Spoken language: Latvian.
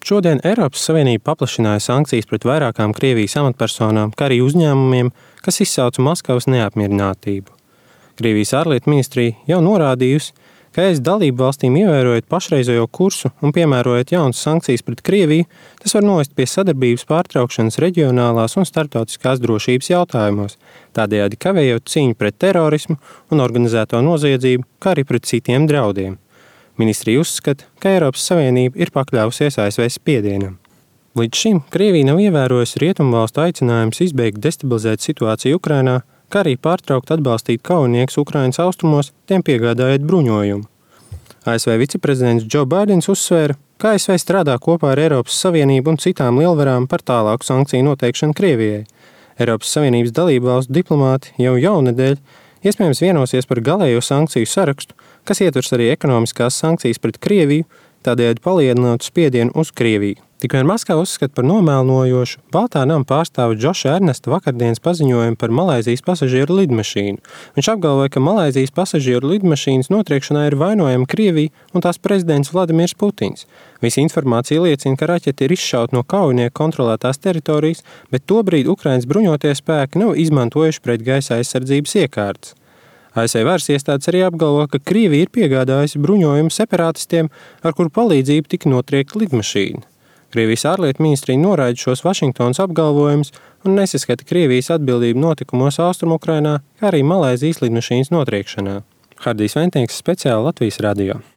Šodien Eiropas Savienība paplašināja sankcijas pret vairākām Krievijas amatpersonām, kā arī uzņēmumiem, kas izsauca Maskavas neapmierinātību. Krievijas ārlietu ministrija jau norādījusi, ka ES dalību valstīm ievērojot pašreizējo kursu un piemērojot jaunas sankcijas pret Krieviju, tas var novest pie sadarbības pārtraukšanas reģionālās un starptautiskās drošības jautājumos, tādējādi kavējot cīņu pret terorismu un organizēto noziedzību, kā arī pret citiem draudiem. Ministrija uzskata, ka Eiropas Savienība ir pakļāvusies ASV spiedienam. Līdz šim Krievija nav ievērojusi rietumvalstu aicinājumus izbeigt destabilizēt situāciju Ukrainā, kā arī pārtraukt atbalstīt kaujiniekus Ukrainas austrumos, tiem piegādājot bruņojumu. ASV viceprezidents Joe Bidens uzsvēra, ka ASV strādā kopā ar Eiropas Savienību un citām lielvarām par tālāku sankciju noteikšanu Krievijai. Eiropas Savienības dalībvalstu diplomāti jau jaunedēļ iespējams vienosies par galējo sankciju sarakstu, kas ietvers arī ekonomiskās sankcijas pret Krieviju, tādējādi palielinot spiedienu uz Krieviju. Tikmēr Maskava uzskata par nomēlojošu Baltā nama pārstāva Džoša Ernesta vakardienas paziņojumu par Malaizijas pasažieru lidmašīnu. Viņš apgalvoja, ka Malaizijas pasažieru lidmašīnas notriekšanā ir vainojama Krievija un tās prezidents Vladimirs Putins. Visa informācija liecina, ka raķete ir izšauta no kaujinieku kontrolētās teritorijas, bet tobrīd Ukrainas bruņotie spēki nav izmantojuši pretgaisa aizsardzības iekārtas. ASV varas iestādes arī apgalvo, ka Krievija ir piegādājusi bruņojumu separatistiem, ar kuru palīdzību tika notriekta lidmašīna. Krievijas ārlietu ministrija noraida šos Vašingtonas apgalvojumus un nesaskata Krievijas atbildību notikumos Austrumu Ukrainā, kā arī Malaizijas lidmašīnas notriekšanā. Hardijs Ventīgs, speciāli Latvijas radio.